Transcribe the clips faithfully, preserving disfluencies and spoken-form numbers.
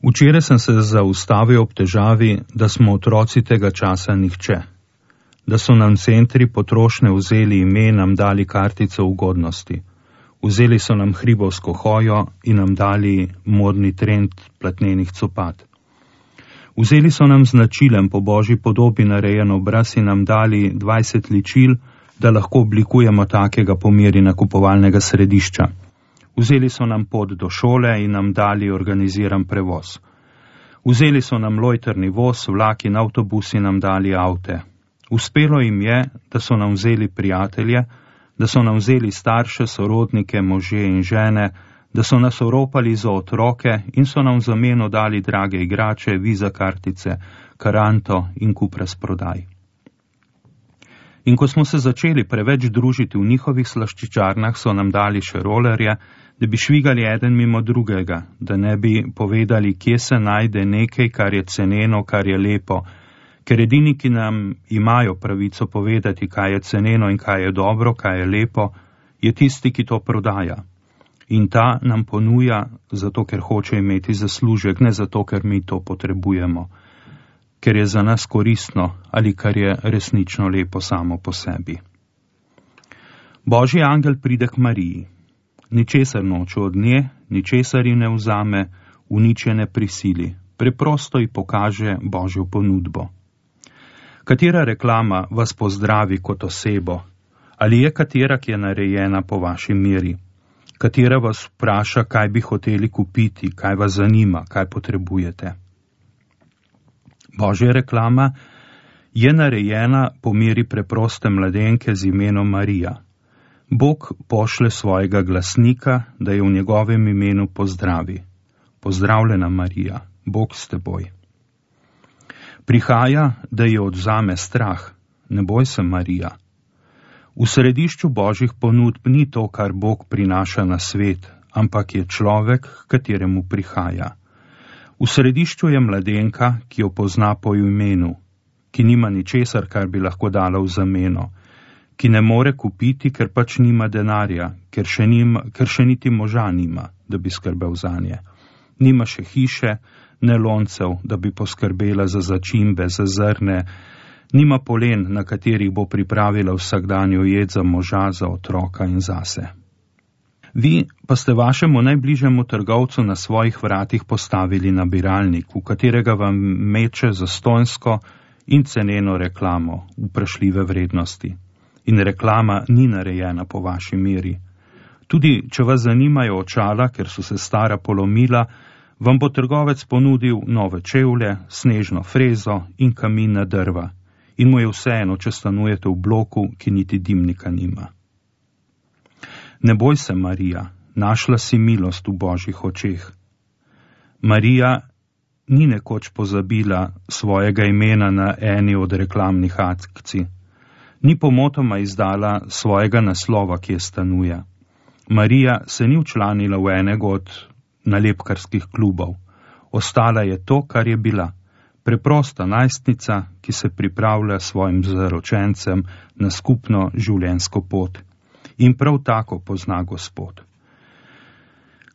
Včeraj sem se zaustavil ob težavi, da smo otroci tega časa nihče, da so nam centri potrošnje vzeli ime, nam dali kartice ugodnosti, vzeli so nam hribovsko hojo in nam dali modni trend platnenih copat. Vzeli so nam značilen po božji podobi narejen obraz in nam dali dvajset ličil, da lahko oblikujemo takega po meri nakupovalnega središča. Vzeli so nam pot do šole in nam dali organiziran prevoz. Vzeli so nam lojtrni voz, vlak in avtobus in nam dali avte. Uspelo jim je, da so nam vzeli prijatelje, da so nam vzeli starše, sorodnike, može in žene, da so nas oropali za otroke in so nam v zameno dali drage igrače, viza kartice, karanto in kup razprodaj. In ko smo se začeli preveč družiti v njihovih slaščičarnah, so nam dali še rolerje, da bi švigali eden mimo drugega, da ne bi povedali, kje se najde nekaj, kar je ceneno, kar je lepo, ker edini, ki nam imajo pravico povedati, kaj je ceneno in kaj je dobro, kaj je lepo, je tisti, ki to prodaja. In ta nam ponuja zato, ker hoče imeti zaslužek, ne zato, ker mi to potrebujemo, ker je za nas koristno ali kar je resnično lepo samo po sebi. Božji angel pride k Mariji. Ničesar noče od nje, ničesar ji ne vzame, v nič je ne prisili, preprosto ji pokaže Božjo ponudbo. Katera reklama vas pozdravi kot osebo? Ali je katera, ki je narejena po vaši meri? Katera vas vpraša, kaj bi hoteli kupiti, kaj vas zanima, kaj potrebujete? Božja reklama je narejena po meri preproste mladenke z imenom Marija. Bog pošle svojega glasnika, da je v njegovem imenu pozdravi. Pozdravljena Marija, Bog s teboj. Prihaja, da je odzame strah. Ne boj se, Marija. V središču božjih ponudb ni to, kar Bog prinaša na svet, ampak je človek, kateremu prihaja. V središču je mladenka, ki jo pozna po imenu, ki nima ničesar, kar bi lahko dala v zameno, ki ne more kupiti, ker pač nima denarja, ker še, nima, ker še niti moža nima, da bi skrbel zanje. Nima še hiše, ne loncev, da bi poskrbela za začimbe, za zrne, nima polen, na katerih bo pripravila vsakdanjo jed za moža, za otroka in zase. Vi pa ste vašemu najbližjemu trgovcu na svojih vratih postavili nabiralnik, v katerega vam meče zastonjsko in ceneno reklamo, vprašljive vrednosti. In reklama ni narejena po vaši meri. Tudi, če vas zanimajo očala, ker so se stara polomila, vam bo trgovec ponudil nove čevlje, snežno frezo in kamina drva. In mu je vseeno, če stanujete v bloku, ki niti dimnika nima. Ne boj se, Marija, našla si milost v božjih očeh. Marija ni nekoč pozabila svojega imena na eni od reklamnih akcij. Ni pomotoma izdala svojega naslova, ki je stanuje. Marija se ni včlanila v enega od nalepkarskih klubov. Ostala je to, kar je bila. Preprosta najstnica, ki se pripravlja svojim zaročencem na skupno življenjsko pot. In prav tako pozna Gospod.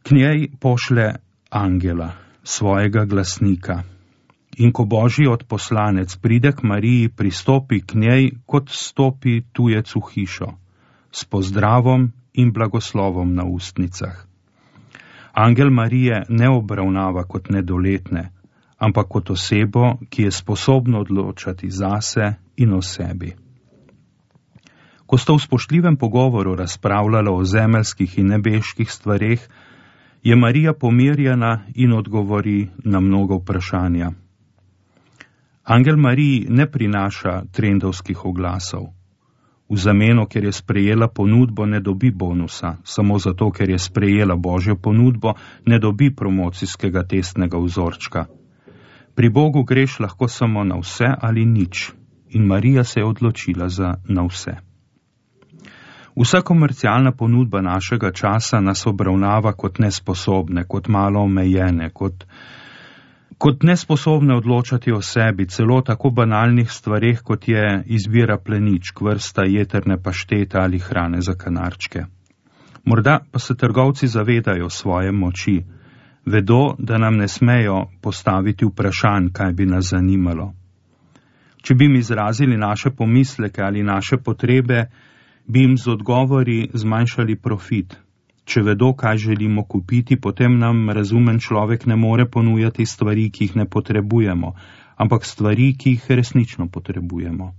K njej pošle angela, svojega glasnika. In ko božji odposlanec pride k Mariji, pristopi k njej, kot stopi tujec v hišo, s pozdravom in blagoslovom na ustnicah. Angel Marije ne obravnava kot nedoletne, ampak kot osebo, ki je sposobna odločati zase in o sebi. Ko sta v spoštljivem pogovoru razpravljala o zemeljskih in nebeških stvareh, je Marija pomirjena in odgovori na mnogo vprašanja. Angel Mariji ne prinaša trendovskih oglasov. V zameno, ker je sprejela ponudbo, ne dobi bonusa, samo zato, ker je sprejela božjo ponudbo, ne dobi promocijskega testnega vzorčka. Pri Bogu greš lahko samo na vse ali nič, in Marija se je odločila za na vse. Vsa komercialna ponudba našega časa nas obravnava kot nesposobne, kot malo omejene, kot, kot nesposobne odločati o sebi, celo tako banalnih stvareh, kot je izbira pleničk, vrsta jeterne paštete ali hrane za kanarčke. Morda pa se trgovci zavedajo svoje moči, Vedo, da nam ne smejo postaviti vprašanj, kaj bi nas zanimalo. Če bi jim izrazili naše pomisleke ali naše potrebe, bi jim z odgovori zmanjšali profit. Če vedo, kaj želimo kupiti, potem nam razumen človek ne more ponujati stvari, ki jih ne potrebujemo, ampak stvari, ki jih resnično potrebujemo.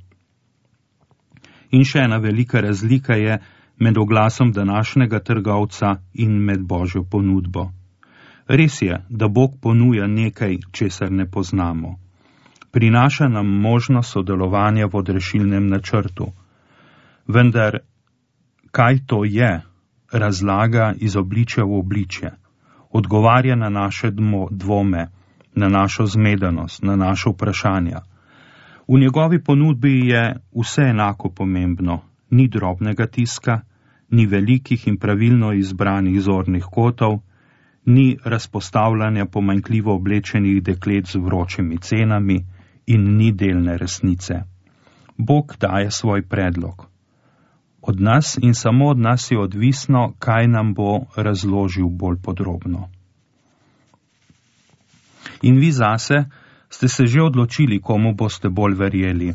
In še ena velika razlika je med oglasom današnjega trgovca in med Božjo ponudbo. Res je, da Bog ponuja nekaj, česar ne poznamo. Prinaša nam možnost sodelovanja v odrešilnem načrtu. Vendar, kaj to je, razlaga iz obličja v obličje, odgovarja na naše dvome, na našo zmedenost, na naše vprašanja. V njegovi ponudbi je vse enako pomembno, ni drobnega tiska, ni velikih in pravilno izbranih zornih kotov, ni razpostavljanja pomanjkljivo oblečenih deklet z vročimi cenami in ni delne resnice. Bog daje svoj predlog. Od nas in samo od nas je odvisno, kaj nam bo razložil bolj podrobno. In vi zase ste se že odločili, komu boste bolj verjeli.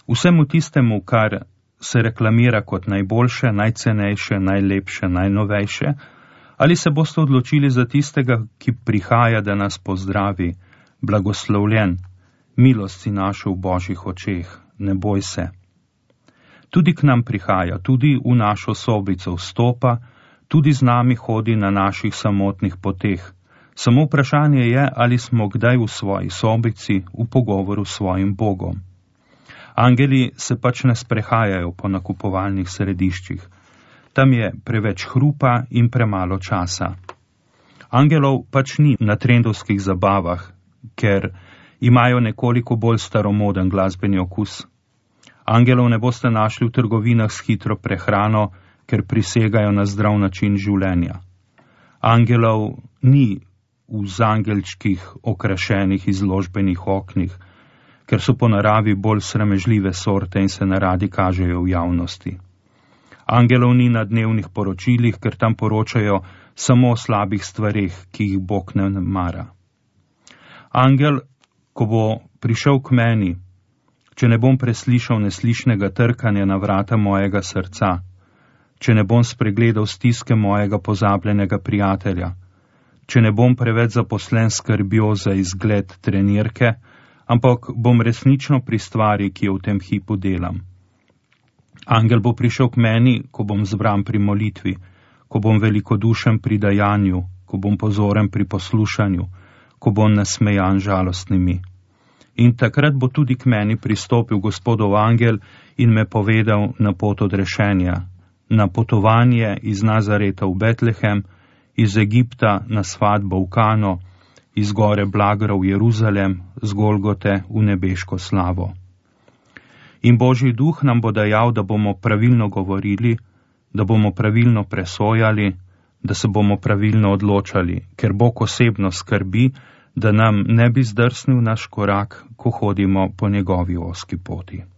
Vsemu tistemu, kar se reklamira kot najboljše, najcenejše, najlepše, najnovejše, ali se boste odločili za tistega, ki prihaja, da nas pozdravi, blagoslovljen, milost si našel v Božjih očeh, ne boj se. Tudi k nam prihaja, tudi v našo sobico vstopa, tudi z nami hodi na naših samotnih poteh. Samo vprašanje je, ali smo kdaj v svoji sobici v pogovoru s svojim Bogom. Angeli se pač ne sprehajajo po nakupovalnih središčih. Tam je preveč hrupa in premalo časa. Angelov pač ni na trendovskih zabavah, ker imajo nekoliko bolj staromoden glasbeni okus. Angelov ne boste našli v trgovinah s hitro prehrano, ker prisegajo na zdrav način življenja. Angelov ni v zangelčkih okrašenih izložbenih oknih, ker so po naravi bolj sramežljive sorte in se neradi kažejo v javnosti. Angelov ni na dnevnih poročilih, ker tam poročajo samo o slabih stvareh, ki jih Bog ne mara. Angel, ko bo prišel k meni, če ne bom preslišal neslišnega trkanja na vrata mojega srca, če ne bom spregledal stiske mojega pozabljenega prijatelja, če ne bom preveč zaposlen skrbjo za izgled trenirke, ampak bom resnično pri stvari, ki jo v tem hipu delam. Angel bo prišel k meni, ko bom zbran pri molitvi, ko bom velikodušen pri dajanju, ko bom pozoren pri poslušanju, ko bom nasmejan žalostnimi. In takrat bo tudi k meni pristopil Gospodov angel in me povedal na pot odrešenja, na potovanje iz Nazareta v Betlehem, iz Egipta na svatbo v Kano, iz gore Blagra v Jeruzalem, z Golgote v nebeško slavo. In Božji duh nam bo dajal, da bomo pravilno govorili, da bomo pravilno presojali, da se bomo pravilno odločali, ker Bog osebno skrbi, da nam ne bi zdrsnil naš korak, ko hodimo po njegovi ozki poti.